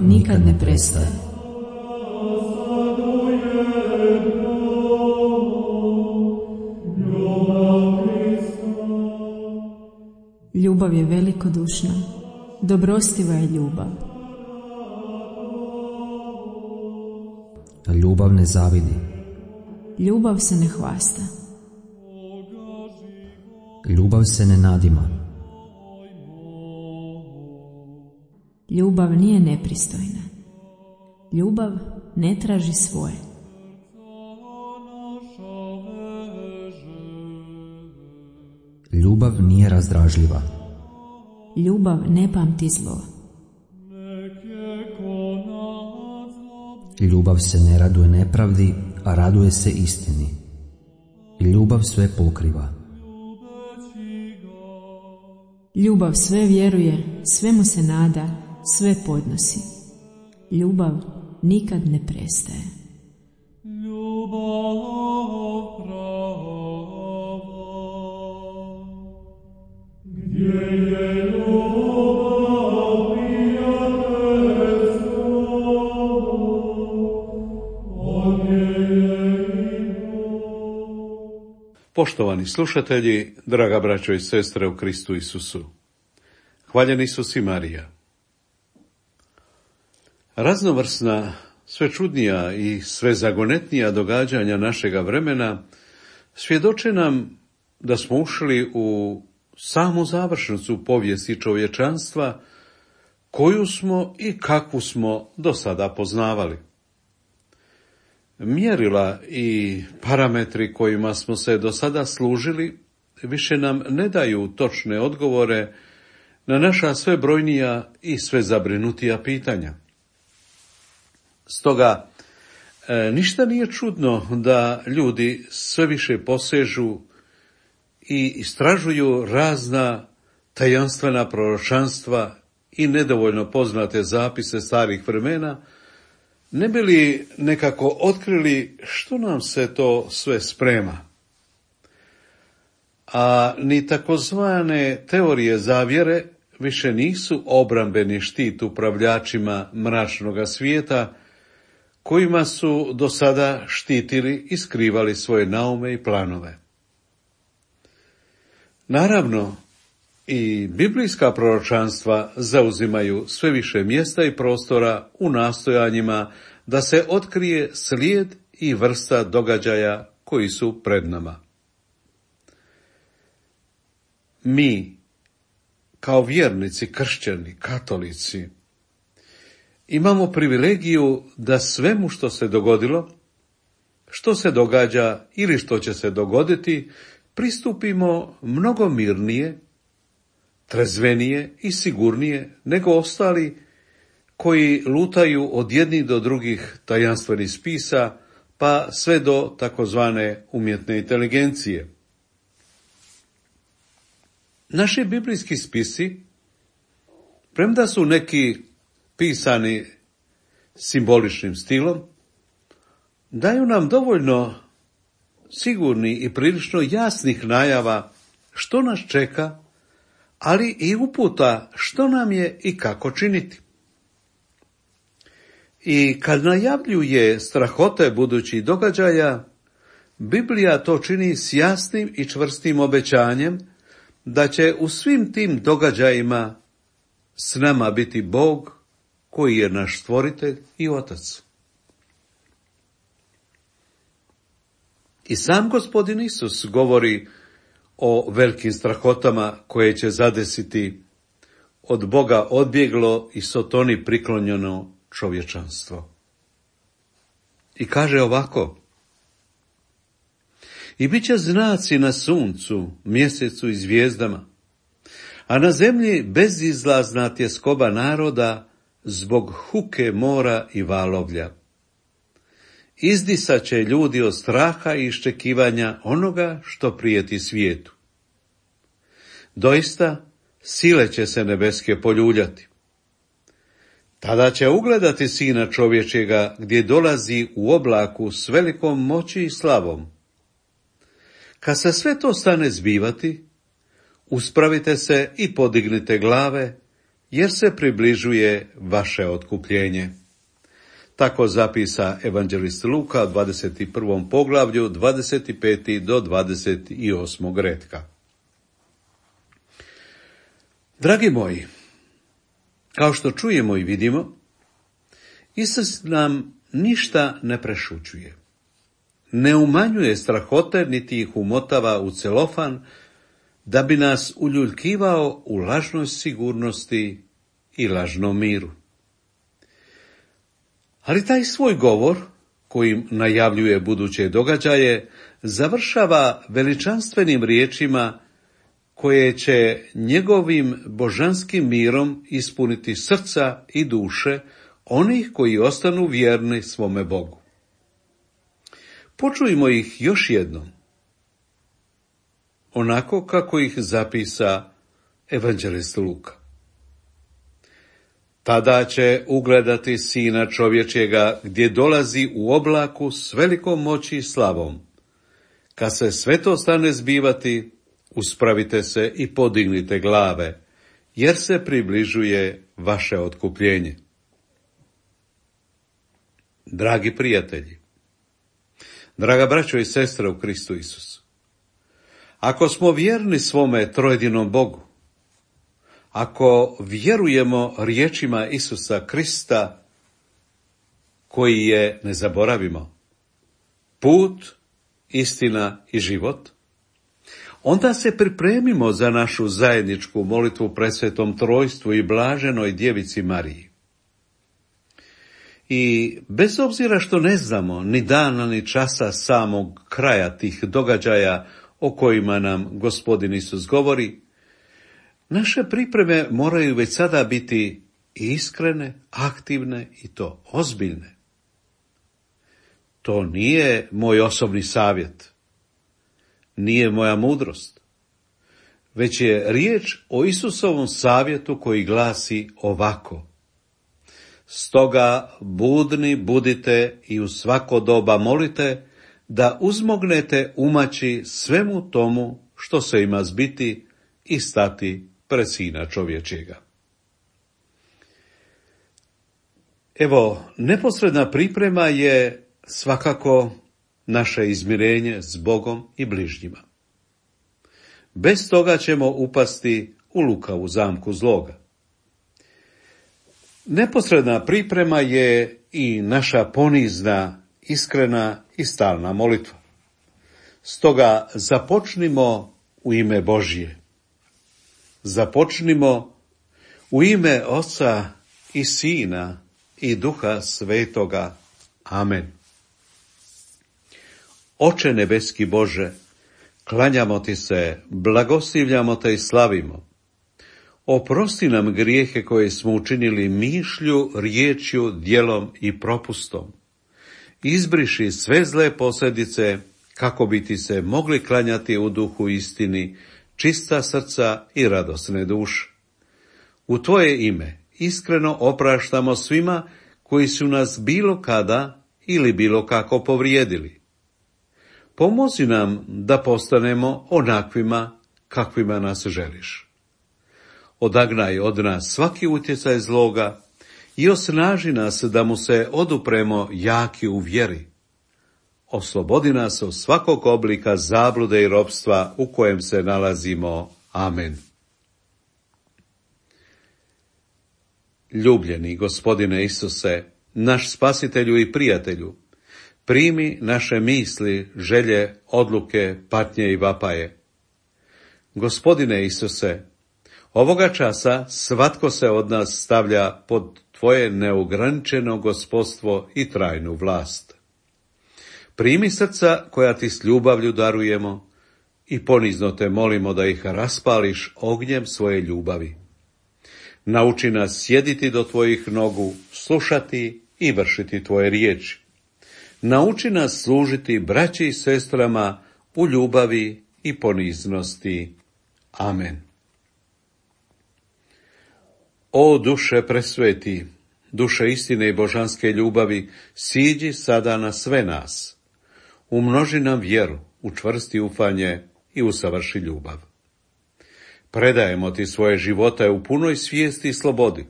nikad ne prestaje. Ljubav je velikodušna, dobrostiva je ljubav. Ljubav ne zavidi. Ljubav se ne hvasta. Ljubav se ne nadima. Ljubav nije nepristojna. Ljubav ne traži svoje. Ljubav nije razdražljiva. Ljubav ne pamti zlo. Ljubav se ne raduje nepravdi, a raduje se istini. Ljubav sve pokriva. Ljubav sve vjeruje, svemu se nada, sve podnosi. Ljubav nikad ne prestaje. Poštovani slušatelji, draga braćo i sestre u Kristu Isusu, hvaljen Isus i Marija. Raznovrsna, sve čudnija i sve zagonetnija događanja našega vremena svjedoče nam da smo ušli u samu završnicu povijesti čovječanstva koju smo i kakvu smo do sada poznavali. Mjerila i parametri kojima smo se do sada služili više nam ne daju točne odgovore na naša sve brojnija i sve zabrinutija pitanja. Stoga, ništa nije čudno da ljudi sve više posežu i istražuju razna tajanstvena proročanstva i nedovoljno poznate zapise starih vremena, ne bi li nekako otkrili što nam se to sve sprema. A ni takozvane teorije zavjere više nisu obrambeni štit upravljačima mračnoga svijeta, kojima su do sada štitili i skrivali svoje naume i planove. Naravno, i biblijska proročanstva zauzimaju sve više mjesta i prostora u nastojanjima da se otkrije slijed i vrsta događaja koji su pred nama. Mi, kao vjernici, kršćani, katolici, imamo privilegiju da svemu što se dogodilo, što se događa ili što će se dogoditi, pristupimo mnogo mirnije, trezvenije i sigurnije nego ostali koji lutaju od jednih do drugih tajanstvenih spisa, pa sve do takozvane umjetne inteligencije. Naši biblijski spisi, premda su neki pisani simboličnim stilom, daju nam dovoljno sigurni i prilično jasnih najava što nas čeka, ali i uputa što nam je i kako činiti. I kad najavljuje strahote budućih događaja, Biblija to čini s jasnim i čvrstim obećanjem da će u svim tim događajima s nama biti Bog koji je naš stvoritelj i otac. I sam Gospodin Isus govori o velikim strahotama koje će zadesiti od Boga odbjeglo i Sotoni priklonjeno čovječanstvo. I kaže ovako: i bit će znaci na suncu, mjesecu i zvijezdama, a na zemlji bezizlazna tjeskoba naroda zbog huke mora i valovlja. Izdisat će ljudi od straha i iščekivanja onoga što prijeti svijetu. Doista, sile će se nebeske poljuljati. Tada će ugledati Sina čovječjega gdje dolazi u oblaku s velikom moći i slavom. Kad se sve to stane zbivati, uspravite se i podignite glave, jer se približuje vaše otkupljenje. Tako zapisa evanđelist Luka u 21. poglavlju, 25. do 28. retka. Dragi moji, kao što čujemo i vidimo, Isus nam ništa ne prešućuje. Ne umanjuje strahote, niti ih umotava u celofan, da bi nas uljuljkivao u lažnoj sigurnosti i lažnom miru. Ali taj svoj govor, kojim najavljuje buduće događaje, završava veličanstvenim riječima koje će njegovim božanskim mirom ispuniti srca i duše onih koji ostanu vjerni svome Bogu. Počujmo ih još jednom, onako kako ih zapisa evanđelist Luka. Tada će ugledati Sina čovječjega gdje dolazi u oblaku s velikom moći i slavom. Kad se sve to stane zbivati, uspravite se i podignite glave, jer se približuje vaše otkupljenje. Dragi prijatelji, draga braćo i sestre u Kristu Isusu, ako smo vjerni svome trojedinom Bogu, ako vjerujemo riječima Isusa Krista, koji je, ne zaboravimo, put, istina i život, onda se pripremimo za našu zajedničku molitvu presvetom trojstvu i blaženoj djevici Mariji. I bez obzira što ne znamo ni dana ni časa samog kraja tih događaja o kojima nam Gospodin Isus govori, naše pripreme moraju već sada biti iskrene, aktivne i to ozbiljne. To nije moj osobni savjet, nije moja mudrost, već je riječ o Isusovom savjetu koji glasi ovako: stoga budni budite i u svako doba molite, da uzmognete umaći svemu tomu što se ima zbiti i stati pred Sina čovječjega. Evo, neposredna priprema je svakako naše izmirenje s Bogom i bližnjima. Bez toga ćemo upasti u lukavu zamku zloga. Neposredna priprema je i naša ponizna, iskrena i stalna molitva. Stoga započnimo u ime Božje. Započnimo u ime Oca i Sina i Duha Svetoga. Amen. Oče nebeski Bože, klanjamo ti se, blagoslivljamo te i slavimo. Oprosti nam grijehe koje smo učinili mišlju, riječju, djelom i propustom. Izbriši sve zle posljedice, kako bi ti se mogli klanjati u duhu istini, čista srca i radosne duše. U tvoje ime iskreno opraštamo svima koji su nas bilo kada ili bilo kako povrijedili. Pomozi nam da postanemo onakvima kakvima nas želiš. Odagnaj od nas svaki utjecaj zloga i osnaži nas da mu se odupremo jaki u vjeri. Oslobodi nas od svakog oblika zablude i ropstva u kojem se nalazimo. Amen. Ljubljeni Gospodine Isuse, naš spasitelju i prijatelju, primi naše misli, želje, odluke, patnje i vapaje. Gospodine Isuse, ovoga časa svatko se od nas stavlja pod tvoje neograničeno gospodstvo i trajnu vlast. Primi srca koja ti s ljubavlju darujemo i ponizno te molimo da ih raspališ ognjem svoje ljubavi. Nauči nas sjediti do tvojih nogu, slušati i vršiti tvoje riječi. Nauči nas služiti braći i sestrama u ljubavi i poniznosti. Amen. O duše presveti, duše istine i božanske ljubavi, siđi sada na sve nas. Umnoži nam vjeru, učvrsti ufanje i usavrši ljubav. predajemo ti svoje živote u punoj svijesti i slobodi.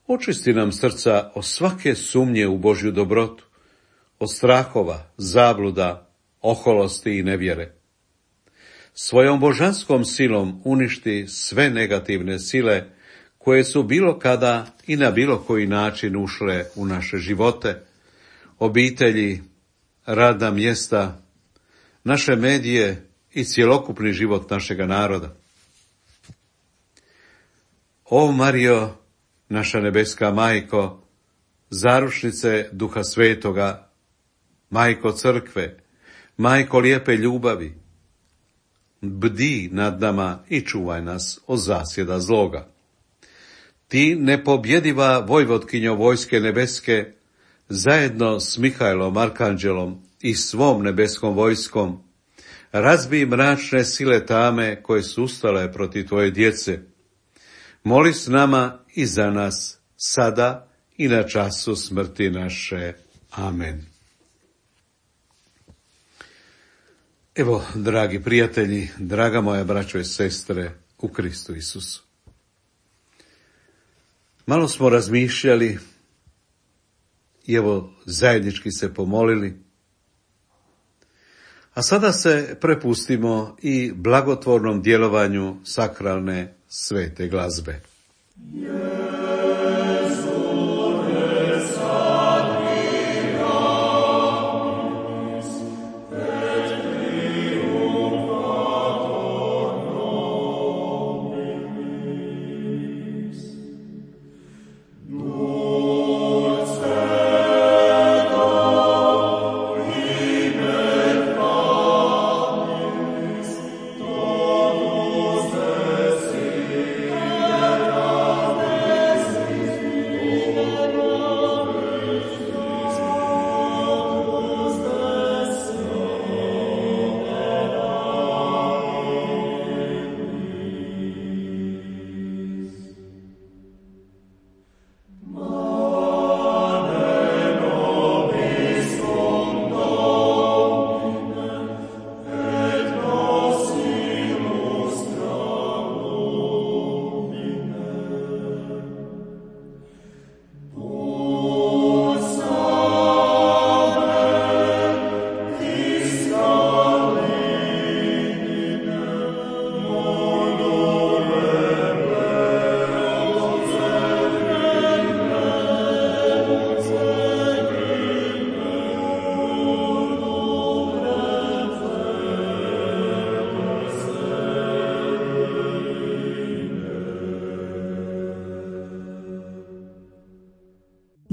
Očisti nam srca od svake sumnje u Božju dobrotu, od strahova, zabluda, oholosti i nevjere. Svojom božanskom silom uništi sve negativne sile koje su bilo kada i na bilo koji način ušle u naše živote, obitelji, radna mjesta, naše medije i cjelokupni život našega naroda. O Marijo, naša nebeska majko, zaručnice Duha Svetoga, majko crkve, majko lijepe ljubavi, bdi nad nama i čuvaj nas od zasjeda zloga. Ti, nepobjediva vojvotkinjo vojske nebeske, zajedno s Mihajlom Arkanđelom i svom nebeskom vojskom, razbij mračne sile tame koje su ustale protiv tvoje djece. Moli s nama i za nas, sada i na času smrti naše. Amen. Evo, dragi prijatelji, draga moja braćo i sestre u Kristu Isusu. Malo smo razmišljali i evo zajednički se pomolili, a sada se prepustimo i blagotvornom djelovanju sakralne svete glazbe.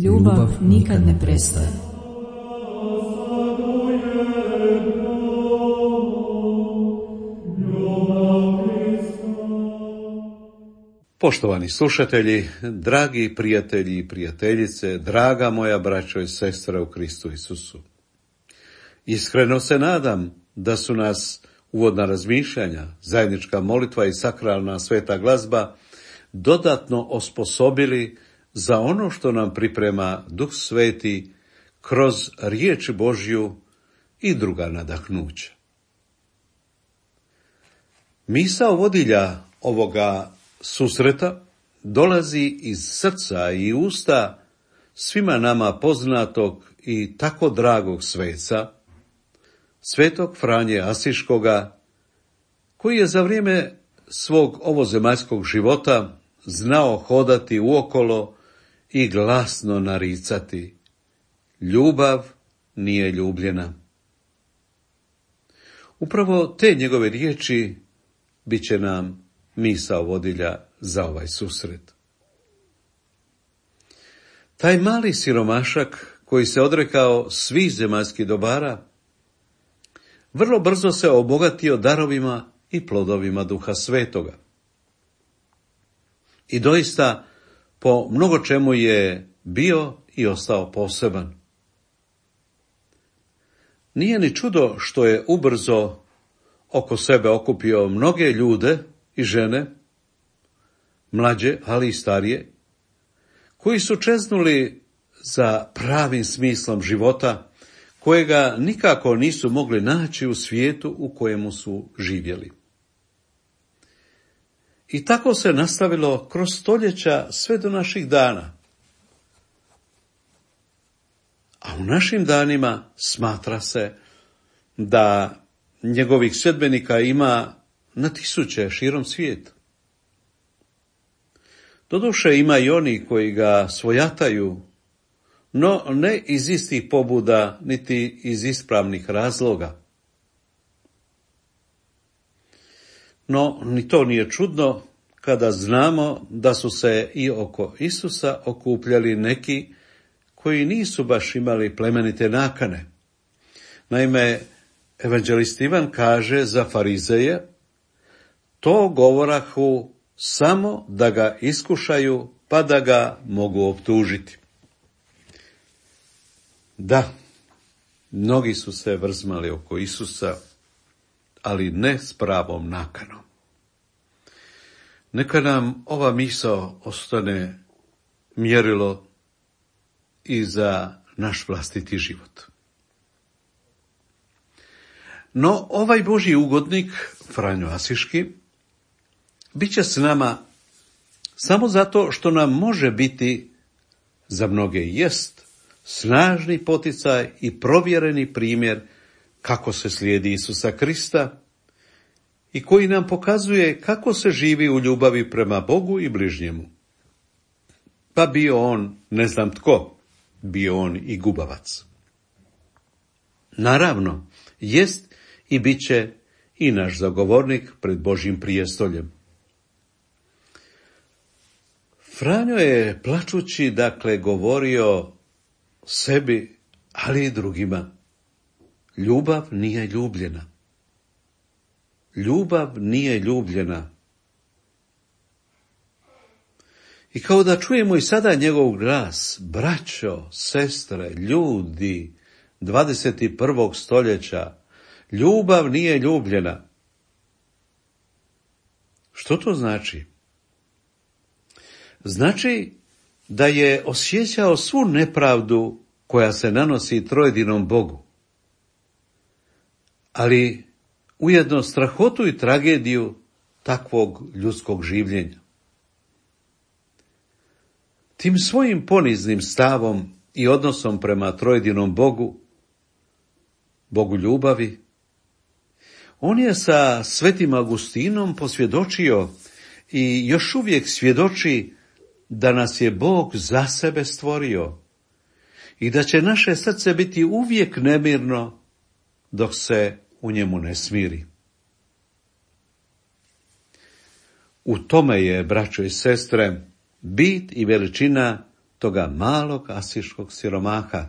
Ljubav nikad ne prestaje. Poštovani slušatelji, dragi prijatelji i prijateljice, draga moja braćo i sestre u Kristu Isusu. Iskreno se nadam da su nas uvodna razmišljanja, zajednička molitva i sakralna sveta glazba dodatno osposobili za ono što nam priprema Duh Sveti kroz riječ Božju i druga nadahnuća. Misao vodilja ovoga susreta dolazi iz srca i usta svima nama poznatog i tako dragog sveca, svetog Franje Asiškoga, koji je za vrijeme svog ovozemaljskog života znao hodati uokolo i glasno naricati: ljubav nije ljubljena. Upravo te njegove riječi bit će nam misao vodilja za ovaj susret. Taj mali siromašak koji se odrekao svih zemaljskih dobara, vrlo brzo se obogatio darovima i plodovima Duha Svetoga. I doista po mnogo čemu je bio i ostao poseban. Nije ni čudo što je ubrzo oko sebe okupio mnoge ljude i žene, mlađe, ali i starije, koji su čeznuli za pravim smislom života, kojega nikako nisu mogli naći u svijetu u kojemu su živjeli. I tako se nastavilo kroz stoljeća sve do naših dana. A u našim danima smatra se da njegovih sljedbenika ima na tisuće širom svijeta. Doduše ima i oni koji ga svojataju, no ne iz istih pobuda, niti iz ispravnih razloga. No, ni to nije čudno kada znamo da su se i oko Isusa okupljali neki koji nisu baš imali plemenite nakane. Naime, evanđelist Ivan kaže za farizeje, to govorahu samo da ga iskušaju, pa da ga mogu optužiti. Da, mnogi su se vrzmali oko Isusa, ali ne s pravom nakanom. Neka nam ova misao ostane mjerilo i za naš vlastiti život. No, ovaj Božji ugodnik, Franjo Asiški, bit će s nama samo zato što nam može biti, za mnoge jest, snažni poticaj i provjereni primjer kako se slijedi Isusa Krista i koji nam pokazuje kako se živi u ljubavi prema Bogu i bližnjemu. Pa bio on ne znam tko, bio on i gubavac. Naravno, jest i bit će i naš zagovornik pred Božjim prijestoljem. Franjo je plačući, govorio sebi, ali i drugima. Ljubav nije ljubljena. Ljubav nije ljubljena. I kao da čujemo i sada njegov glas, braćo, sestre, ljudi 21. stoljeća, ljubav nije ljubljena. Što to znači? Znači da je osjećao svu nepravdu koja se nanosi trojedinom Bogu, ali ujedno strahotu i tragediju takvog ljudskog življenja. Tim svojim poniznim stavom i odnosom prema trojedinom Bogu, Bogu ljubavi, on je sa svetim Augustinom posvjedočio i još uvijek svjedoči da nas je Bog za sebe stvorio i da će naše srce biti uvijek nemirno dok se u njemu ne smiri. U tome je, braćo i sestre, bit i veličina toga malog asiškog siromaha.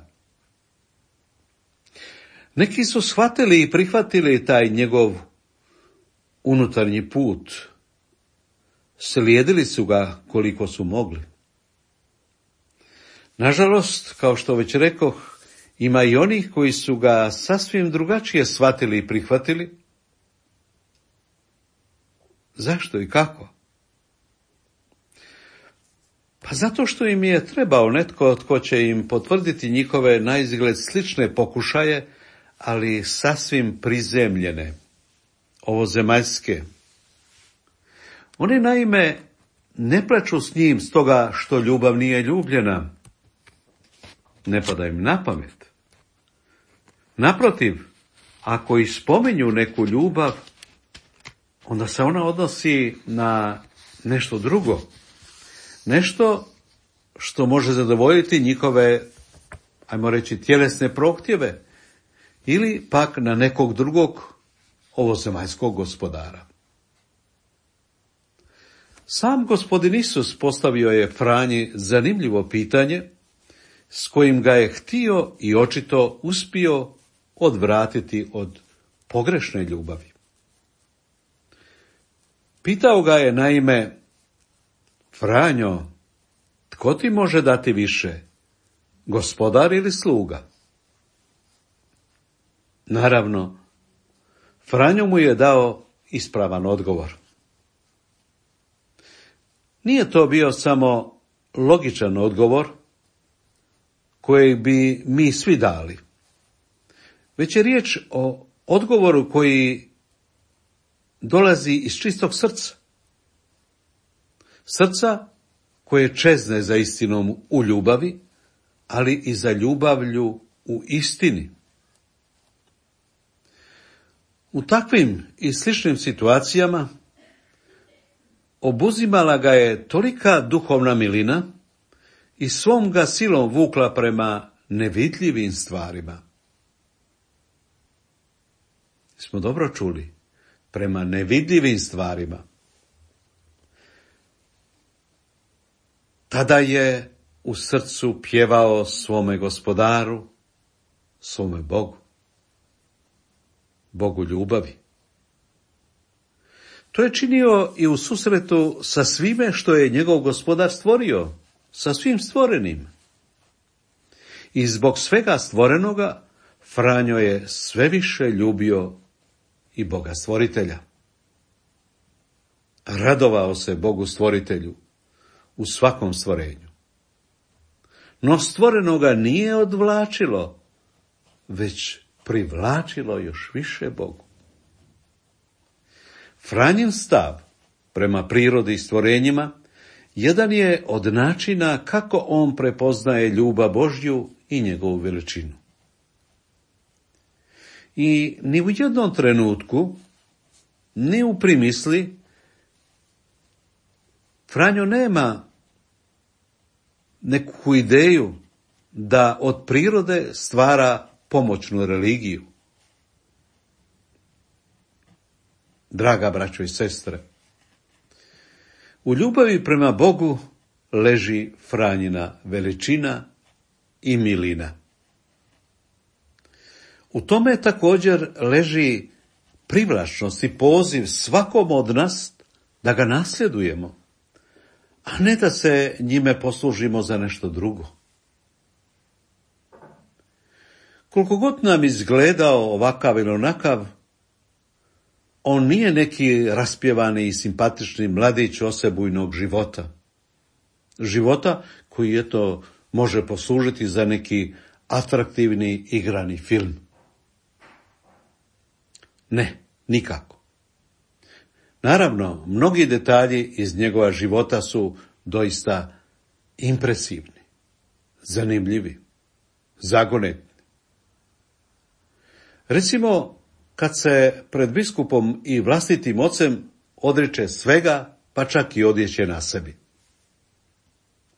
Neki su shvatili i prihvatili taj njegov unutarnji put. Slijedili su ga koliko su mogli. Nažalost, kao što već rekoh, ima i onih koji su ga sasvim drugačije shvatili i prihvatili. Zašto i kako? Pa zato što im je trebao netko tko će im potvrditi njihove naizgled slične pokušaje, ali sasvim prizemljene, ovozemaljske. Oni naime ne plaču s njim stoga što ljubav nije ljubljena. Ne pada im na pamet. Naprotiv, ako i spominju neku ljubav, onda se ona odnosi na nešto drugo. Nešto što može zadovoljiti njihove, ajmo reći, tjelesne prohtjeve ili pak na nekog drugog ovozemaljskog gospodara. Sam gospodin Isus postavio je Franji zanimljivo pitanje s kojim ga je htio i očito uspio odvratiti od pogrešne ljubavi. Pitao ga je naime, Franjo, tko ti može dati više, gospodar ili sluga? Naravno, Franjo mu je dao ispravan odgovor. Nije to bio samo logičan odgovor koji bi mi svi dali, već je riječ o odgovoru koji dolazi iz čistog srca. Srca koje čezne za istinom u ljubavi, ali i za ljubavlju u istini. U takvim i sličnim situacijama obuzimala ga je tolika duhovna milina i svom ga silom vukla prema nevidljivim stvarima. Smo dobro čuli, prema nevidljivim stvarima. Tada je u srcu pjevao svome Gospodaru, svome Bogu, Bogu ljubavi. To je činio i u susretu sa svime što je njegov Gospodar stvorio, sa svim stvorenim. I zbog svega stvorenoga Franjo je sve više ljubio i Boga stvoritelja. Radovao se Bogu stvoritelju u svakom stvorenju. No stvorenoga nije odvlačilo, već privlačilo još više Bogu. Franjin stav prema prirodi i stvorenjima jedan je od načina kako on prepoznaje ljubav Božju i njegovu veličinu. I ni u jednom trenutku, ni u primisli, Franjo nema neku ideju da od prirode stvara pomoćnu religiju. Draga braćo i sestre, u ljubavi prema Bogu leži Franjina veličina i milina. U tome također leži privlačnost i poziv svakom od nas da ga nasljedujemo, a ne da se njime poslužimo za nešto drugo. Koliko god nam izgledao ovakav ili onakav, on nije neki raspjevani i simpatični mladić osebujnog života. Života koji eto može poslužiti za neki atraktivni igrani film. Ne, nikako. Naravno, mnogi detalji iz njegova života su doista impresivni, zanimljivi, zagonetni. Recimo, kad se pred biskupom i vlastitim ocem odriče svega, pa čak i odjeće na sebi.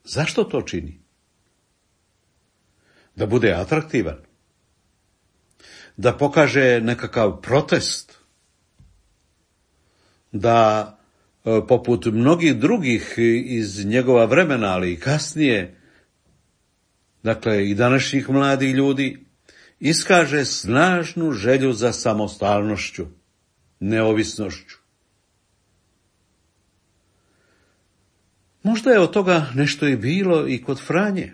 Zašto to čini? Da bude atraktivan? Da pokaže nekakav protest? Da, poput mnogih drugih iz njegova vremena, ali i kasnije, dakle i današnjih mladih ljudi, iskaže snažnu želju za samostalnošću, neovisnošću. Možda je od toga nešto i bilo i kod Franje.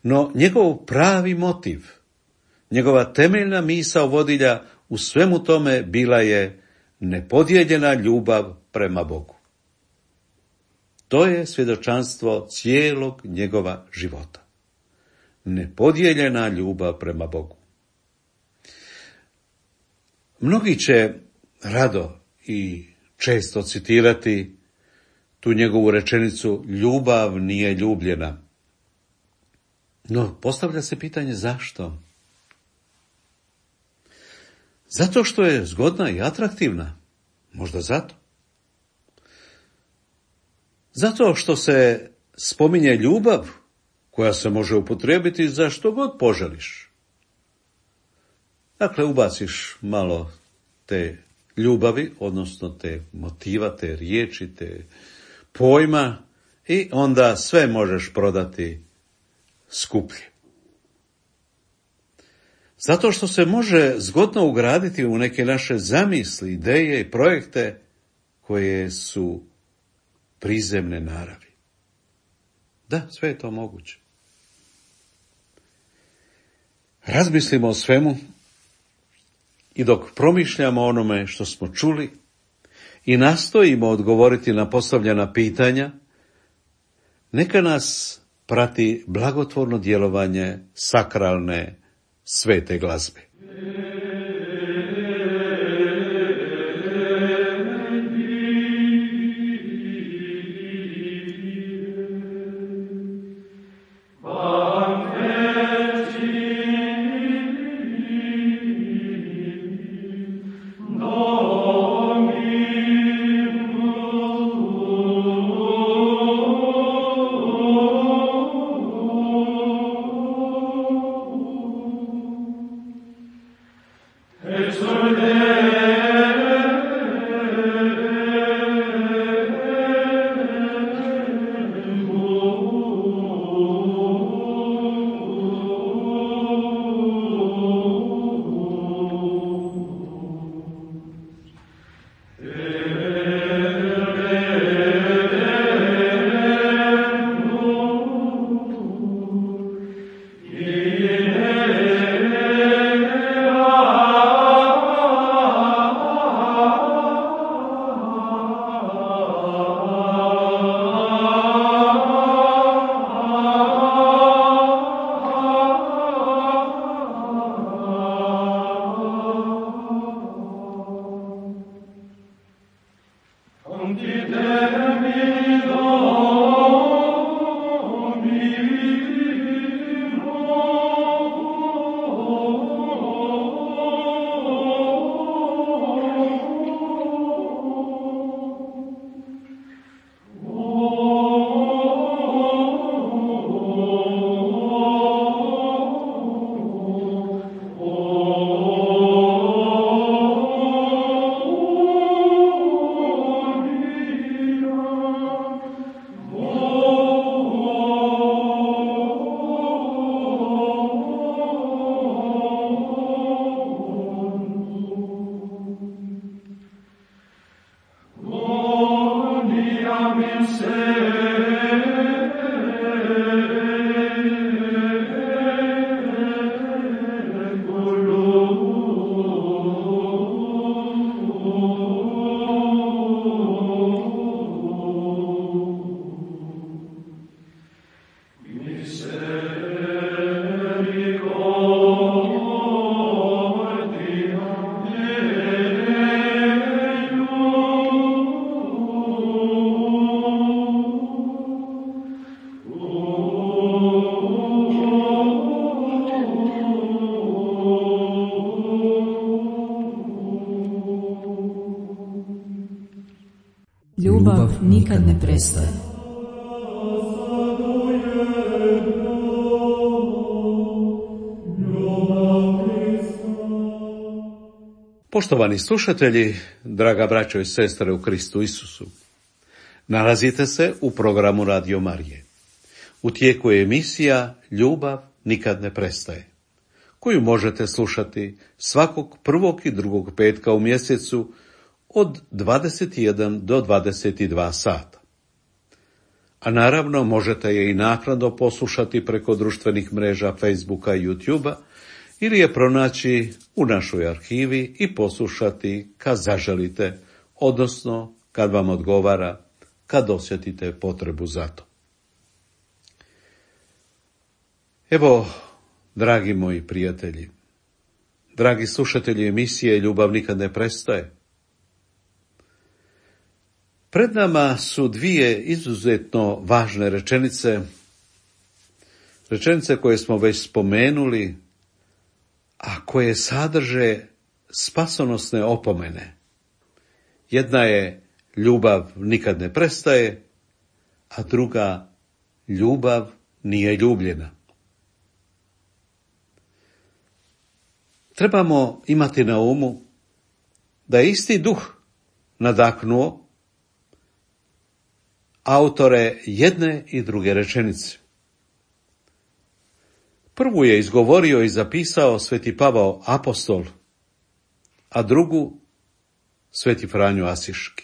No njegov pravi motiv, njegova temeljna misao vodilja u svemu tome bila je nepodijeljena ljubav prema Bogu. To je svjedočanstvo cijelog njegova života. Nepodijeljena ljubav prema Bogu. Mnogi će rado i često citirati tu njegovu rečenicu ljubav nije ljubljena. No, postavlja se pitanje zašto? Zato što je zgodna i atraktivna. Možda zato. Zato što se spominje ljubav koja se može upotrijebiti za što god poželiš. Dakle, ubaciš malo te ljubavi, odnosno te motiva, te riječi, te pojma i onda sve možeš prodati skuplje. Zato što se može zgodno ugraditi u neke naše zamisli, ideje i projekte koje su prizemne naravi. Da, sve je to moguće. Razmislimo o svemu i dok promišljamo o onome što smo čuli i nastojimo odgovoriti na postavljena pitanja, neka nas prati blagotvorno djelovanje sakralne svete glazbe. Ljubav nikad ne prestaje. Poštovani slušatelji, draga braćo i sestre u Kristu Isusu, nalazite se u programu Radio Marije. U tijeku je emisija Ljubav nikad ne prestaje, koju možete slušati svakog prvog i drugog petka u mjesecu od 21 do 22 sata. A naravno možete je i naknadno poslušati preko društvenih mreža Facebooka i YouTubea ili je pronaći u našoj arhivi i poslušati kad zaželite, odnosno kad vam odgovara, kad osjetite potrebu za to. Evo, dragi moji prijatelji, dragi slušatelji emisije Ljubav nikad ne prestaje, pred nama su dvije izuzetno važne rečenice koje smo već spomenuli, a koje sadrže spasonosne opomene. Jedna je ljubav nikad ne prestaje, a druga ljubav nije ljubljena. Trebamo imati na umu da je isti duh nadahnuo autore jedne i druge rečenice. Prvu je izgovorio i zapisao sveti Pavao apostol, a drugu sveti Franjo Asiški.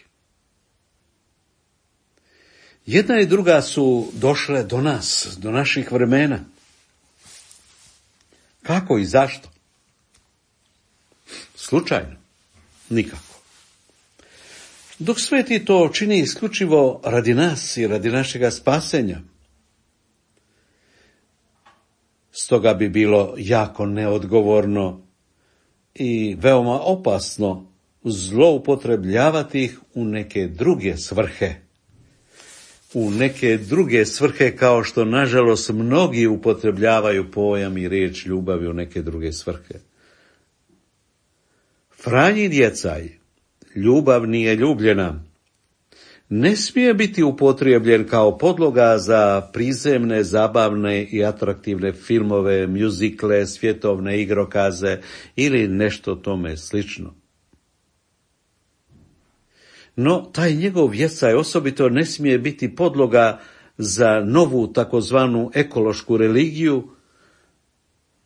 Jedna i druga su došle do nas, do naših vremena. Kako i zašto? Slučajno? Nikako. Dok sveti to čini isključivo radi nas i radi našega spasenja, stoga bi bilo jako neodgovorno i veoma opasno zloupotrebljavati ih u neke druge svrhe. U neke druge svrhe, kao što nažalost mnogi upotrebljavaju pojam i riječ ljubavi u neke druge svrhe. Franjin jecaj, ljubav nije ljubljena, ne smije biti upotrijebljen kao podloga za prizemne, zabavne i atraktivne filmove, mjuzikle, svjetovne igrokaze ili nešto tome slično. No, taj njegov jecaj osobito ne smije biti podloga za novu takozvanu ekološku religiju,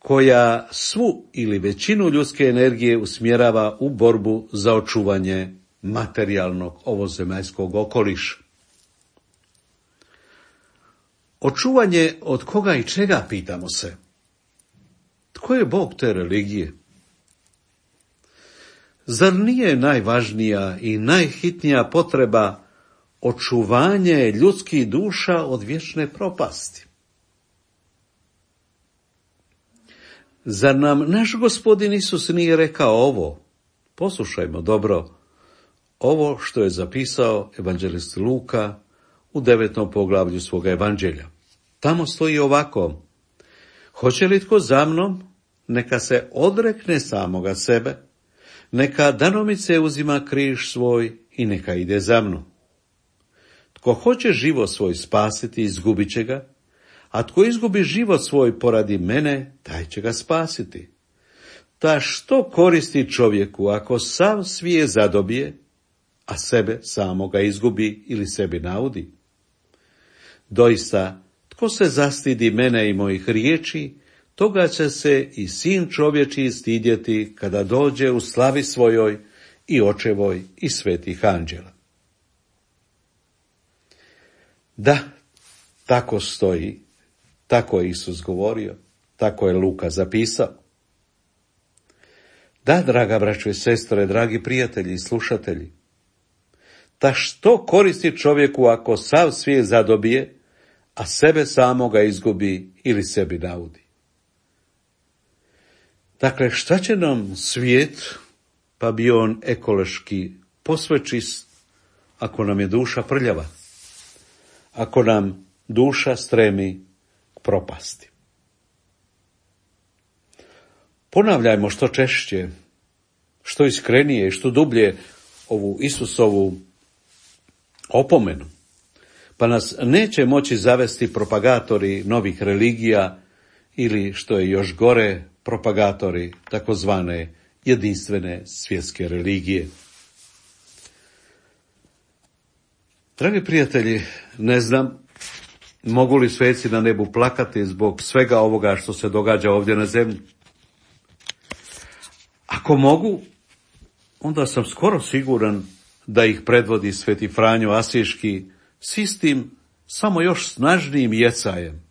koja svu ili većinu ljudske energije usmjerava u borbu za očuvanje materijalnog ovozemaljskog okoliša. Očuvanje od koga i čega, pitamo se? Tko je Bog te religije? Zar nije najvažnija i najhitnija potreba očuvanje ljudskih duša od vječne propasti? Zar nam naš Gospodin Isus nije rekao ovo? Poslušajmo dobro ovo što je zapisao evanđelist Luka u 9. poglavlju svoga evanđelja. Tamo stoji ovako: hoće li tko za mnom, neka se odrekne samoga sebe, neka danomice uzima križ svoj i neka ide za mnom. Tko hoće život svoj spasiti, izgubit će ga, a tko izgubi život svoj poradi mene, taj će ga spasiti. Ta što koristi čovjeku ako sav svijet zadobije, a sebe samoga izgubi ili sebi naudi? Doista, tko se zastidi mene i mojih riječi, toga će se i sin čovječiji stidjeti kada dođe u slavi svojoj i očevoj i svetih anđela. Da, tako stoji, tako je Isus govorio, tako je Luka zapisao. Da, draga braćo i sestre, dragi prijatelji i slušatelji, ta što koristi čovjeku ako sav svijet zadobije, a sebe samoga izgubi ili sebi naudi? Dakle, šta će nam svijet, pa bio on ekološki posve čist, ako nam je duša prljava, ako nam duša stremi k propasti? Ponavljajmo što češće, što iskrenije i što dublje ovu Isusovu opomenu, pa nas neće moći zavesti propagatori novih religija ili, što je još gore, propagatori takozvane jedinstvene svjetske religije. Dragi prijatelji, ne znam mogu li sveci na nebu plakati zbog svega ovoga što se događa ovdje na zemlji. Ako mogu, onda sam skoro siguran da ih predvodi sveti Franjo Asiški s istim, samo još snažnijim jecajem,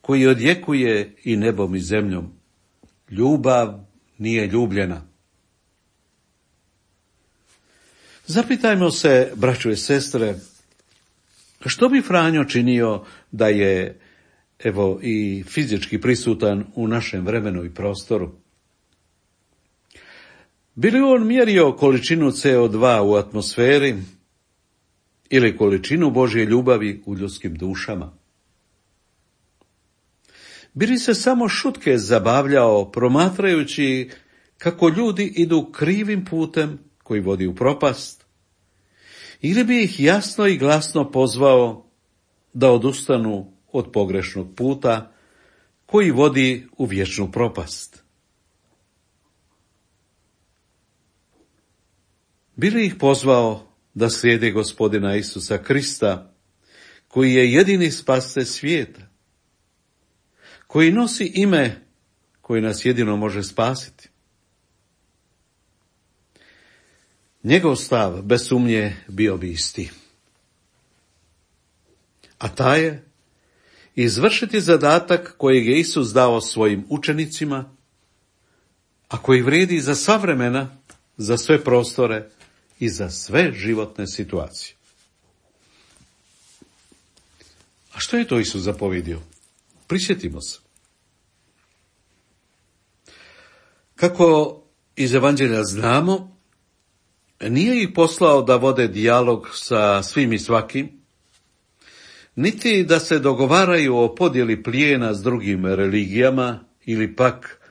koji odjekuje i nebom i zemljom. Ljubav nije ljubljena. Zapitajmo se, braćo i sestre, što bi Franjo činio da je, evo, i fizički prisutan u našem vremenu i prostoru? Bi li on mjerio količinu CO2 u atmosferi ili količinu Božje ljubavi u ljudskim dušama? Bi li se samo šutke zabavljao promatrajući kako ljudi idu krivim putem koji vodi u propast? Ili bi ih jasno i glasno pozvao da odustanu od pogrešnog puta koji vodi u vječnu propast? Bi li ih pozvao da slijede Gospodina Isusa Krista, koji je jedini spasitelj svijeta, koji nosi ime koje nas jedino može spasiti? Njegov stav, bez sumnje, bio bi isti. A taj je izvršiti zadatak kojeg je Isus dao svojim učenicima, a koji vrijedi za sva vremena, za sve prostore i za sve životne situacije. A što je to Isus zapovjedio? Prisjetimo se. Kako iz Evanđelja znamo, nije ih poslao da vode dijalog sa svim i svakim, niti da se dogovaraju o podjeli plijena s drugim religijama, ili pak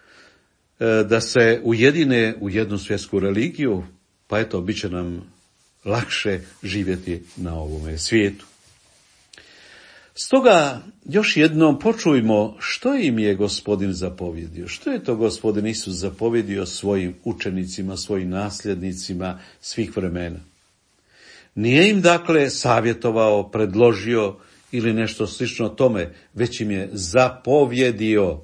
da se ujedine u jednu svjetsku religiju, pa eto, bit će nam lakše živjeti na ovome svijetu. Stoga još jednom počujmo što im je Gospodin zapovjedio. Što je to Gospodin Isus zapovjedio svojim učenicima, svojim nasljednicima svih vremena? Nije im dakle savjetovao, predložio ili nešto slično tome, već im je zapovjedio.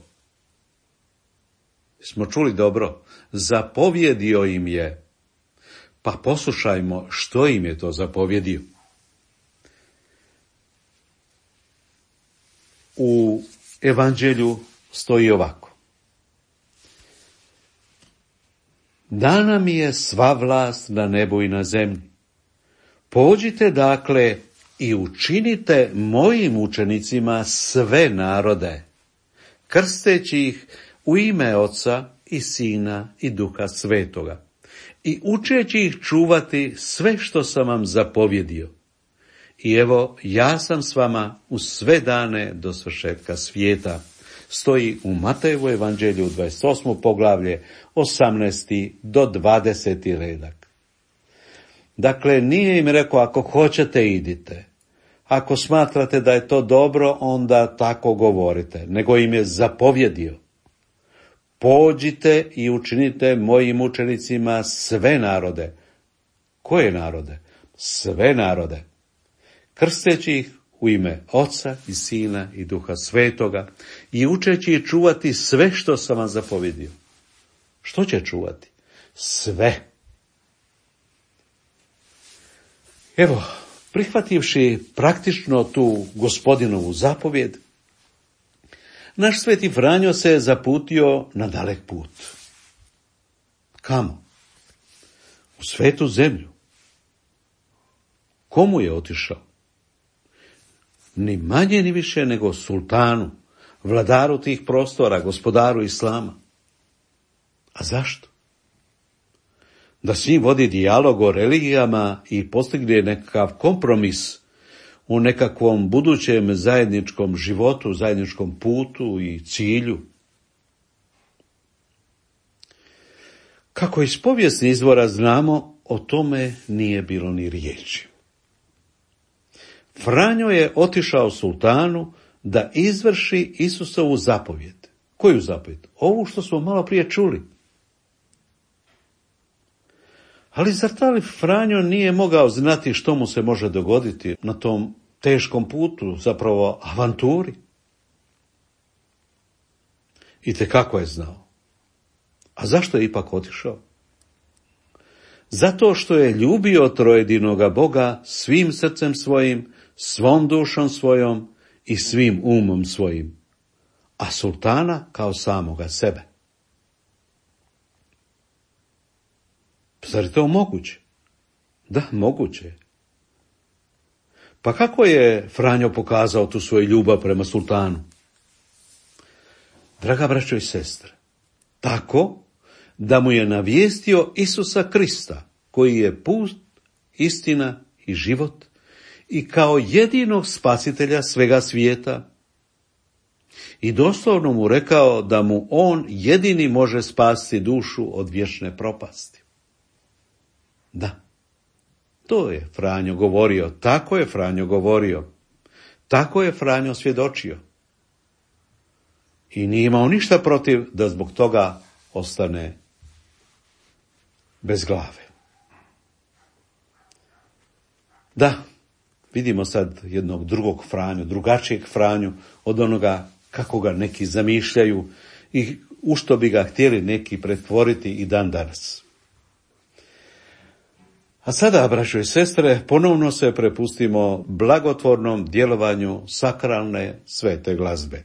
Smo čuli dobro? Zapovjedio im je. Pa poslušajmo što im je to zapovjedio. U Evanđelju stoji ovako. Dana mi je sva vlast na nebu i na zemlji. Pođite dakle i učinite mojim učenicima sve narode, krsteći ih u ime Oca i Sina i Duha Svetoga, i učeći ih čuvati sve što sam vam zapovjedio. I evo, ja sam s vama u sve dane do svršetka svijeta. Stoji u Matejevu Evanđelju 28. poglavlje 18. do 20. redak. Dakle, nije im rekao ako hoćete idite, ako smatrate da je to dobro onda tako govorite, nego im je zapovjedio. Pođite i učinite mojim učenicima sve narode. Koje narode? Sve narode. Krsteći ih u ime Oca i Sina i Duha Svetoga i učeći ih čuvati sve što sam vam zapovjedio. Što će čuvati? Sve. Evo, prihvativši praktično tu Gospodinovu zapovjed, naš sveti Franjo se zaputio na dalek put. Kamo? U svetu zemlju. Komu je otišao? Ni manje ni više nego sultanu, vladaru tih prostora, gospodaru islama. A zašto? Da s njim vodi dijalog o religijama i postigne nekakav kompromis u nekakvom budućem zajedničkom životu, zajedničkom putu i cilju. Kako iz povijesnih izvora znamo, o tome nije bilo ni riječi. Franjo je otišao sultanu da izvrši Isusovu zapovjed. Koju zapovjed? Ovu što smo malo prije čuli. Ali zar taj Franjo nije mogao znati što mu se može dogoditi na tom teškom putu, zapravo avanturi? Itekako je znao. A zašto je ipak otišao? Zato što je ljubio trojedinoga Boga svim srcem svojim, svom dušom svojom i svim umom svojim, a sultana kao samoga sebe. Zar je to moguće? Da, moguće. Pa kako je Franjo pokazao tu svoju ljubav prema sultanu? Draga braćo i sestre, tako da mu je navijestio Isusa Krista, koji je put, istina i život, i kao jedinog spasitelja svega svijeta, i doslovno mu rekao da mu on jedini može spasiti dušu od vječne propasti. Da, to je Franjo govorio, tako je Franjo govorio, tako je Franjo svjedočio. I nije imao ništa protiv da zbog toga ostane bez glave. Da, vidimo sad jednog drugog Franju, drugačijeg Franju od onoga kako ga neki zamišljaju i u što bi ga htjeli neki pretvoriti i dan danas. A sada, braćo i sestre, ponovno se prepustimo blagotvornom djelovanju sakralne svete glazbe.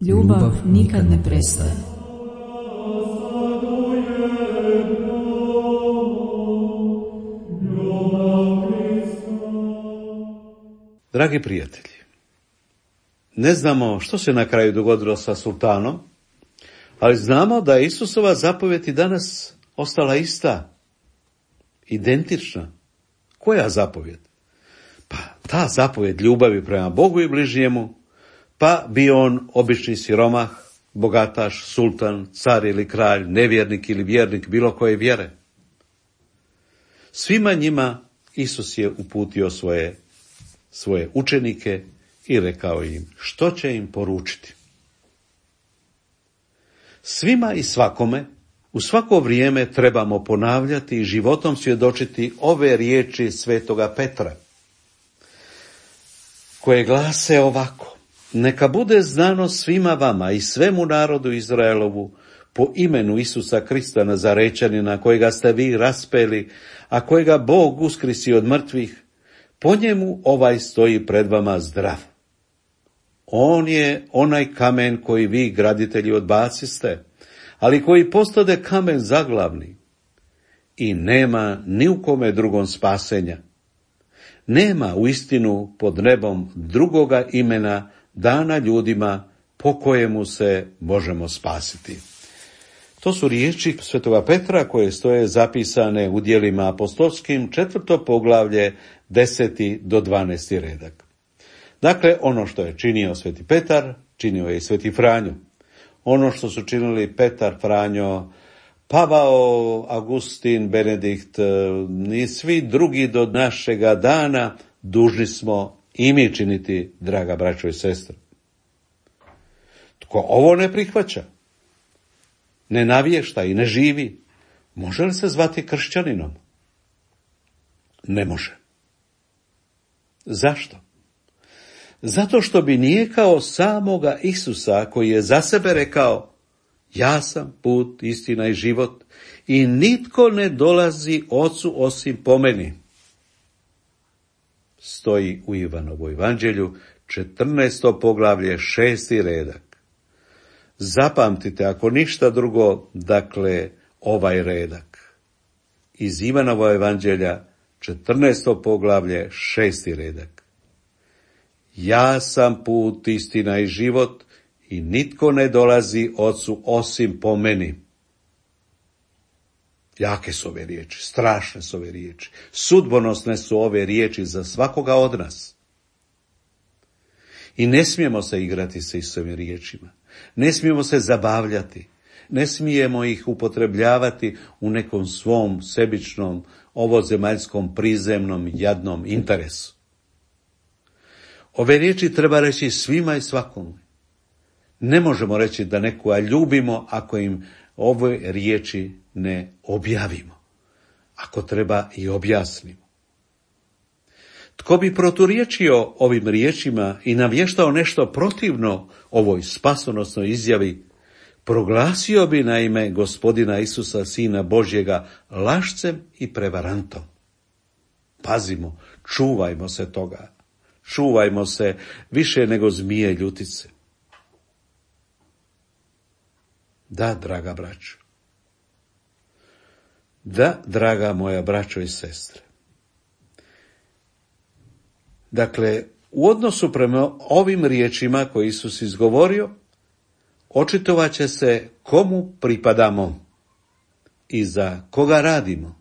Ljubav nikad ne prestaje. Dragi prijatelji, ne znamo što se na kraju dogodilo sa sultanom, ali znamo da je Isusova zapovjed i danas ostala ista, identična. Koja zapovjed? Pa ta zapovjed ljubavi prema Bogu i bližnjemu, pa bio on obični siromah, bogataš, sultan, car ili kralj, nevjernik ili vjernik bilo koje vjere. Svima njima Isus je uputio svoje učenike i rekao im što će im poručiti. Svima i svakome u svako vrijeme trebamo ponavljati i životom svjedočiti ove riječi svetoga Petra, koje glase ovako: neka bude znano svima vama i svemu narodu Izraelovu po imenu Isusa Krista Nazarečanina, kojega ste vi raspeli, a kojega Bog uskrisi od mrtvih, po njemu ovaj stoji pred vama zdrav. On je onaj kamen koji vi, graditelji, odbaciste, ali koji postade kamen zaglavni. I nema ni u kome drugom spasenja. Nema u istinu pod nebom drugoga imena dana ljudima po kojemu se možemo spasiti. To su riječi svetoga Petra koje stoje zapisane u djelima apostolskim, 4. poglavlje, 10. do 12. redak. Dakle, ono što je činio sveti Petar, činio je i sveti Franjo. Ono što su činili Petar, Franjo, Pavao, Augustin, Benedikt i svi drugi do našega dana, dužni smo i mi činiti, draga braćo i sestre. Tko ovo ne prihvaća, ne navješta i ne živi, može li se zvati kršćaninom? Ne može. Zašto? Zato što bi nijekao samoga Isusa, koji je za sebe rekao: ja sam put, istina i život, i nitko ne dolazi Ocu osim po meni. Stoji u Ivanovu evanđelju, 14. poglavlje, 6. redak. Zapamtite, ako ništa drugo, dakle, ovaj redak. Iz Ivanova evanđelja, 14. poglavlje, 6. redak. Ja sam put, istina i život, i nitko ne dolazi Ocu osim po meni. Jake su ove riječi, strašne su ove riječi, sudbonosne su ove riječi za svakoga od nas. I ne smijemo se igrati sa Isusovim riječima, ne smijemo se zabavljati, ne smijemo ih upotrebljavati u nekom svom sebičnom, ovozemaljskom, prizemnom, jadnom interesu. Ove riječi treba reći svima i svakome. Ne možemo reći da nekoga ljubimo ako im ove riječi ne objavimo, ako treba i objasnimo. Tko bi proturječio ovim riječima i navještao nešto protivno ovoj spasonosnoj izjavi, proglasio bi naime Gospodina Isusa, Sina Božjega, lašcem i prevarantom. Pazimo, čuvajmo se toga. Čuvajmo se više nego zmije ljutice. Da, draga braćo. Da, draga moja braćo i sestre. Dakle, u odnosu prema ovim riječima koje Isus izgovorio, očitovat će se komu pripadamo i za koga radimo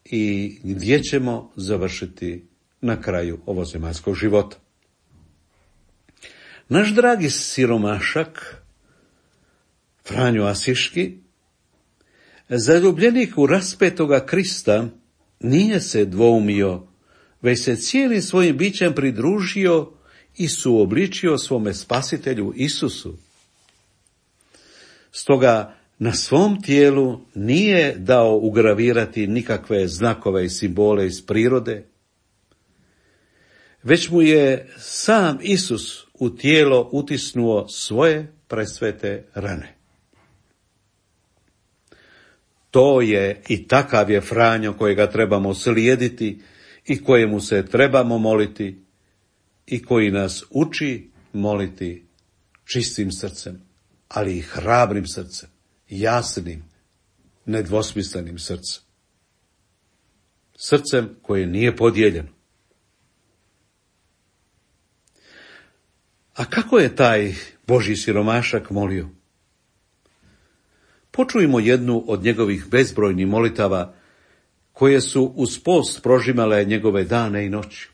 i gdje ćemo završiti na kraju ovozemaljskog života. Naš dragi siromašak, Franjo Asiški, zaljubljenik u raspetoga Krista, nije se dvoumio, već se cijelim svojim bićem pridružio i suobličio svome spasitelju Isusu. Stoga na svom tijelu nije dao ugravirati nikakve znakove i simbole iz prirode, već mu je sam Isus u tijelo utisnuo svoje presvete rane. To je i takav je Franjo kojega trebamo slijediti i kojemu se trebamo moliti i koji nas uči moliti čistim srcem, ali i hrabrim srcem, jasnim, nedvosmislenim srcem. Srcem koje nije podijeljeno. A kako je taj Božji siromašak molio? Počujmo jednu od njegovih bezbrojnih molitava koje su uz post prožimale njegove dane i noći.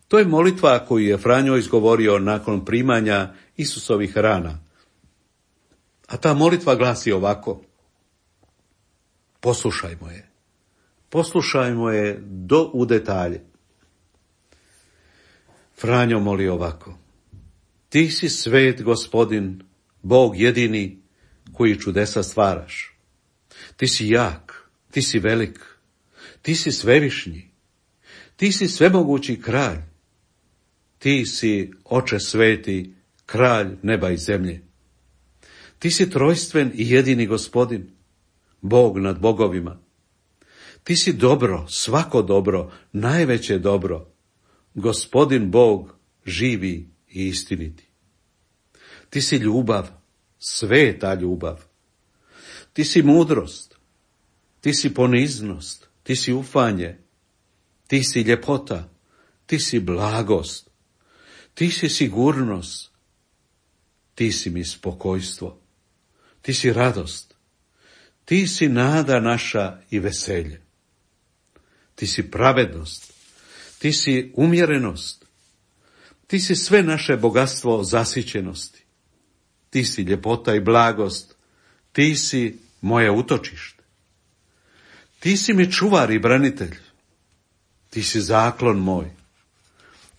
To je molitva koju je Franjo izgovorio nakon primanja Isusovih rana. A ta molitva glasi ovako: poslušajmo je u detalje. Franjo moli ovako: ti si svet Gospodin, Bog jedini koji čudesa stvaraš. Ti si jak, ti si velik, ti si svevišnji, ti si svemogući kralj, ti si Oče sveti, kralj neba i zemlje. Ti si trojstven i jedini Gospodin, Bog nad bogovima. Ti si dobro, svako dobro, najveće dobro, Gospodin Bog živi i istiniti. Ti si ljubav, sveta ljubav. Ti si mudrost, ti si poniznost, ti si ufanje, ti si ljepota, ti si blagost, ti si sigurnost, ti si mi spokojstvo, ti si radost, ti si nada naša i veselje. Ti si pravednost, ti si umjerenost, ti si sve naše bogatstvo zasićenosti, ti si ljepota i blagost, ti si moje utočište. Ti si mi čuvar i branitelj, ti si zaklon moj,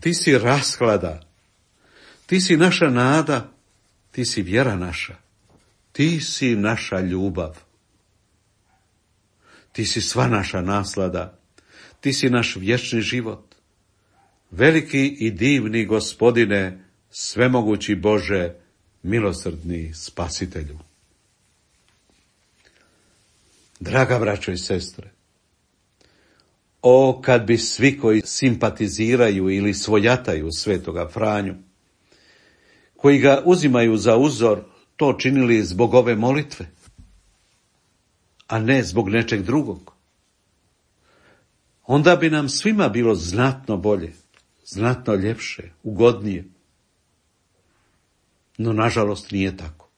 ti si rasklada, ti si naša nada, ti si vjera naša, ti si naša ljubav. Ti si sva naša naslada, ti si naš vječni život. Veliki i divni Gospodine, svemogući Bože, milosrdni Spasitelju. Draga braćo i sestre, o kad bi svi koji simpatiziraju ili svojataju svetoga Franju, koji ga uzimaju za uzor, to činili zbog ove molitve, a ne zbog nečeg drugog. Onda bi nam svima bilo znatno bolje, znatno ljepše, ugodnije. No, nažalost, nije tako.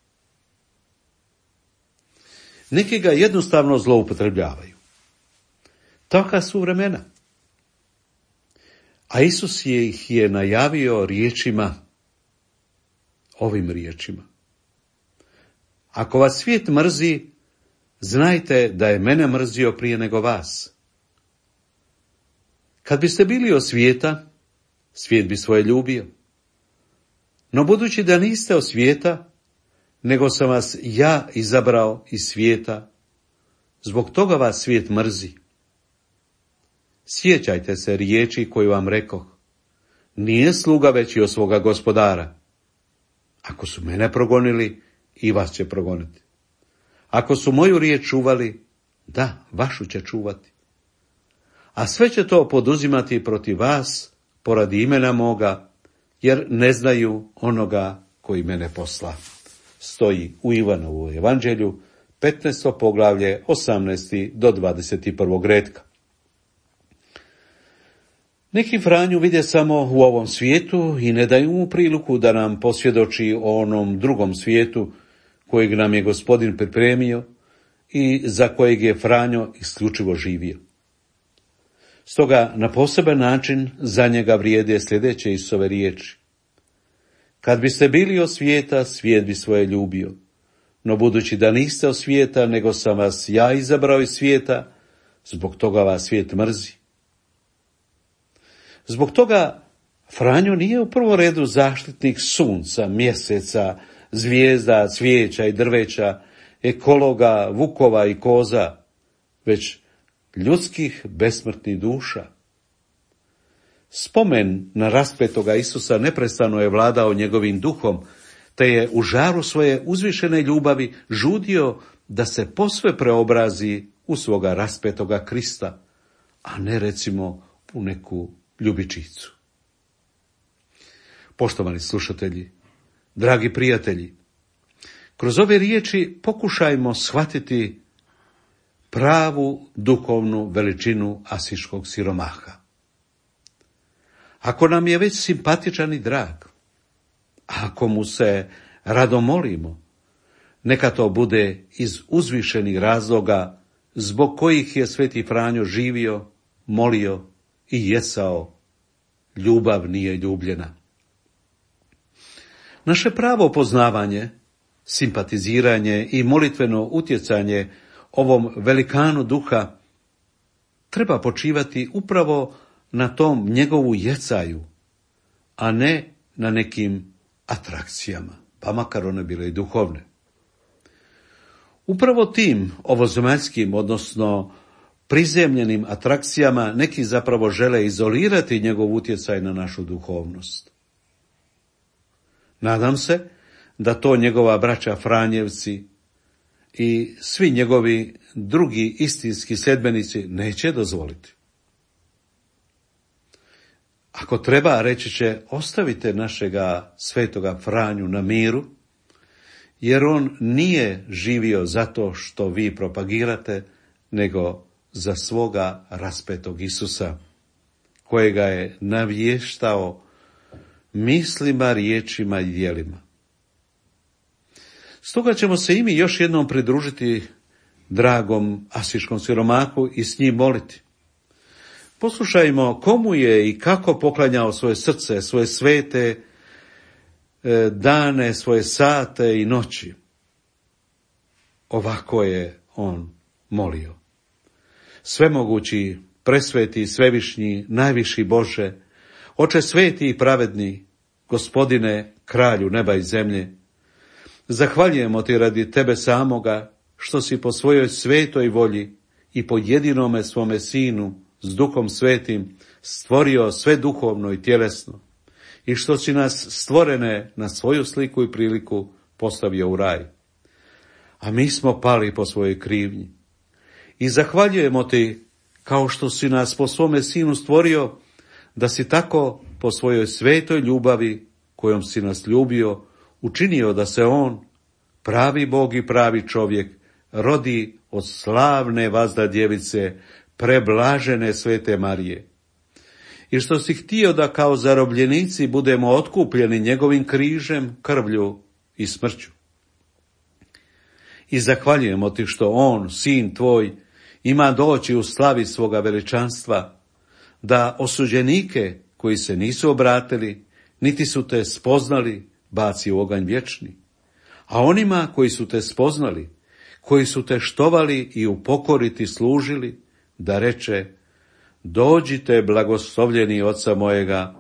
Neki ga jednostavno zloupotrebljavaju. Taka su vremena. A Isus ih je najavio riječima, ovim riječima: ako vas svijet mrzi, znajte da je mene mrzio prije nego vas. Kad biste bili od svijeta, svijet bi svoje ljubio. No budući da niste od svijeta, nego sam vas ja izabrao iz svijeta, zbog toga vas svijet mrzi. Sjećajte se riječi koju vam rekoh: nije sluga veći od svoga gospodara. Ako su mene progonili, i vas će progoniti. Ako su moju riječ čuvali, da, vašu će čuvati. A sve će to poduzimati protiv vas, poradi imena moga, jer ne znaju onoga koji mene posla. Stoji u Ivanovu evanđelju, 15. poglavlje, 18. do 21. retka. Neki Franju vide samo u ovom svijetu i ne daju mu priliku da nam posvjedoči o onom drugom svijetu kojeg nam je Gospodin pripremio i za kojeg je Franjo isključivo živio. Stoga na poseban način za njega vrijede sljedeće Isusove riječi: kad biste bili od svijeta, svijet bi svoje ljubio. No budući da niste od svijeta, nego sam vas ja izabrao iz svijeta, zbog toga vas svijet mrzi. Zbog toga Franjo nije u prvom redu zaštitnik sunca, mjeseca, zvijezda, cvijeća i drveća, ekologa, vukova i koza, već ljudskih besmrtnih duša. Spomen na raspetoga Isusa neprestano je vladao njegovim duhom, te je u žaru svoje uzvišene ljubavi žudio da se posve preobrazi u svoga raspetoga Krista, a ne recimo u neku ljubičicu. Poštovani slušatelji, dragi prijatelji, kroz ove riječi pokušajmo shvatiti pravu duhovnu veličinu asiškog siromaha. Ako nam je već simpatičan i drag, ako mu se rado molimo, neka to bude iz uzvišenih razloga zbog kojih je Sveti Franjo živio, molio i jesao. Ljubav nije ljubljena. Naše pravo poznavanje, simpatiziranje i molitveno utjecanje ovom velikanu duha treba počivati upravo na tom njegovu jecaju, a ne na nekim atrakcijama, pa makar one bile i duhovne. Upravo tim ovozemaljskim, odnosno prizemljenim atrakcijama neki zapravo žele izolirati njegov utjecaj na našu duhovnost. Nadam se da to njegova braća Franjevci i svi njegovi drugi istinski sljedbenici neće dozvoliti. Ako treba, reći će, ostavite našega svetoga Franju na miru, jer on nije živio zato što vi propagirate, nego za svoga raspetog Isusa, kojega je navještao mislima, riječima i djelima. Stoga ćemo se i mi još jednom pridružiti dragom asiškom siromahu i s njim moliti. Poslušajmo komu je i kako poklanjao svoje srce, svoje svete dane, svoje sate i noći. Ovako je on molio. Svemogući, presveti, svevišnji, najviši Bože, Oče sveti i pravedni, Gospodine, kralju neba i zemlje, zahvaljujemo ti radi tebe samoga, što si po svojoj svetoj volji i po jedinome svome Sinu s Duhom Svetim stvorio sve duhovno i tjelesno, i što si nas stvorene na svoju sliku i priliku postavio u raj. A mi smo pali po svojoj krivnji. I zahvaljujemo ti, kao što si nas po svome Sinu stvorio, da si tako po svojoj svetoj ljubavi, kojom si nas ljubio, učinio da se on, pravi Bog i pravi čovjek, rodi od slavne vazda djevice, preblažene Svete Marije. I što si htio da kao zarobljenici budemo otkupljeni njegovim križem, krvlju i smrću. I zahvaljujemo ti što on, sin tvoj, ima doći u slavi svoga veličanstva, da osuđenike koji se nisu obratili, niti su te spoznali, baci u oganj vječni. A onima koji su te spoznali, koji su te štovali i u pokori ti služili, da reče: dođite, blagoslovljeni Oca mojega,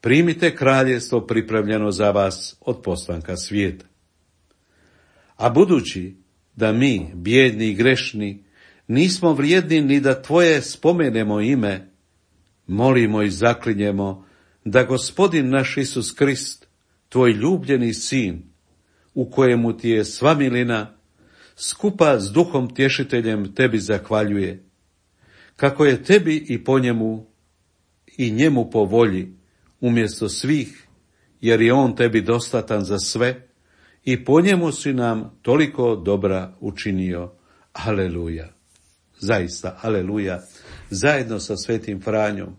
primite kraljevstvo pripremljeno za vas od postanka svijeta. A budući da mi, bijedni i grešni, nismo vrijedni ni da tvoje spomenemo ime, molimo i zaklinjemo da Gospodin naš Isus Krist, tvoj ljubljeni sin, u kojemu ti je sva milina, skupa s Duhom Tješiteljem tebi zahvaljuje, kako je tebi i po njemu i njemu po volji, umjesto svih, jer je on tebi dostatan za sve i po njemu si nam toliko dobra učinio. Aleluja. Zaista, aleluja. Zajedno sa Svetim Franjom,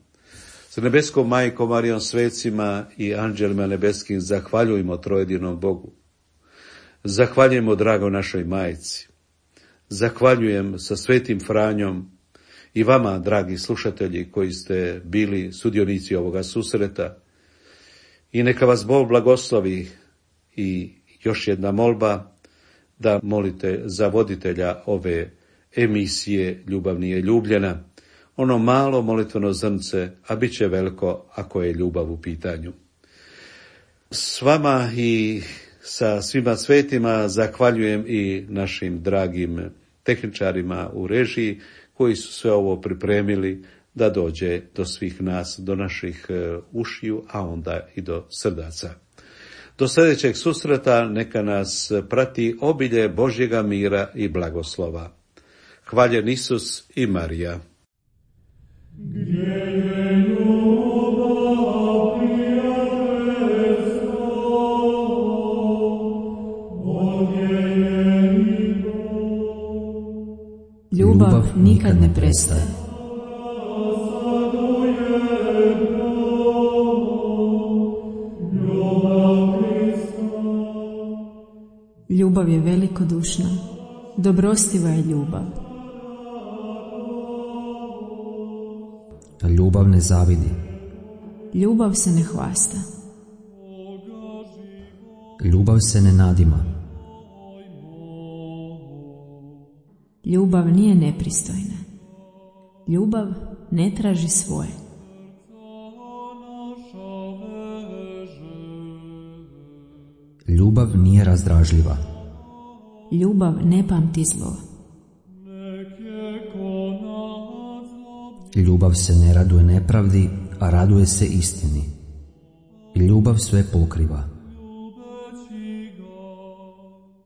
sa nebeskom majkom Marijom, svecima i anđelima nebeskim zahvaljujemo trojedinom Bogu. Zahvaljujemo drago našoj majci. Zahvaljujem sa Svetim Franjom i vama, dragi slušatelji, koji ste bili sudionici ovoga susreta. I neka vas Bog blagoslovi. I još jedna molba, da molite za voditelja ove emisije Ljubav nije ljubljena. Ono malo molitveno zrnce, a bit će veliko ako je ljubav u pitanju. S vama i sa svima svetima zahvaljujem i našim dragim tehničarima u režiji, koji su sve ovo pripremili da dođe do svih nas, do naših ušiju, a onda i do srdaca. Do sljedećeg susreta neka nas prati obilje Božjega mira i blagoslova. Hvaljen Isus i Marija. Gdje je ljubav, prijatelj Ljubav nikad ne prestaje. Ljubav je velikodušna, dobrostiva je ljubav. Ljubav ne zavidi. Ljubav se ne hvasta. Ljubav se ne nadima. Ljubav nije nepristojna. Ljubav ne traži svoje. Ljubav nije razdražljiva. Ljubav ne pamti zlo. Ljubav se ne raduje nepravdi, a raduje se istini. Ljubav sve pokriva.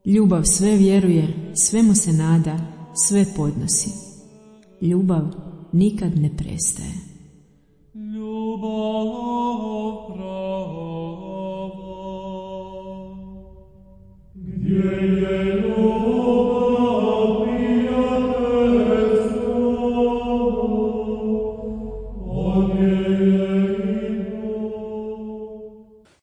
Ljubav sve vjeruje, svemu se nada, sve podnosi. Ljubav nikad ne prestaje. Ljubav prava, gdje je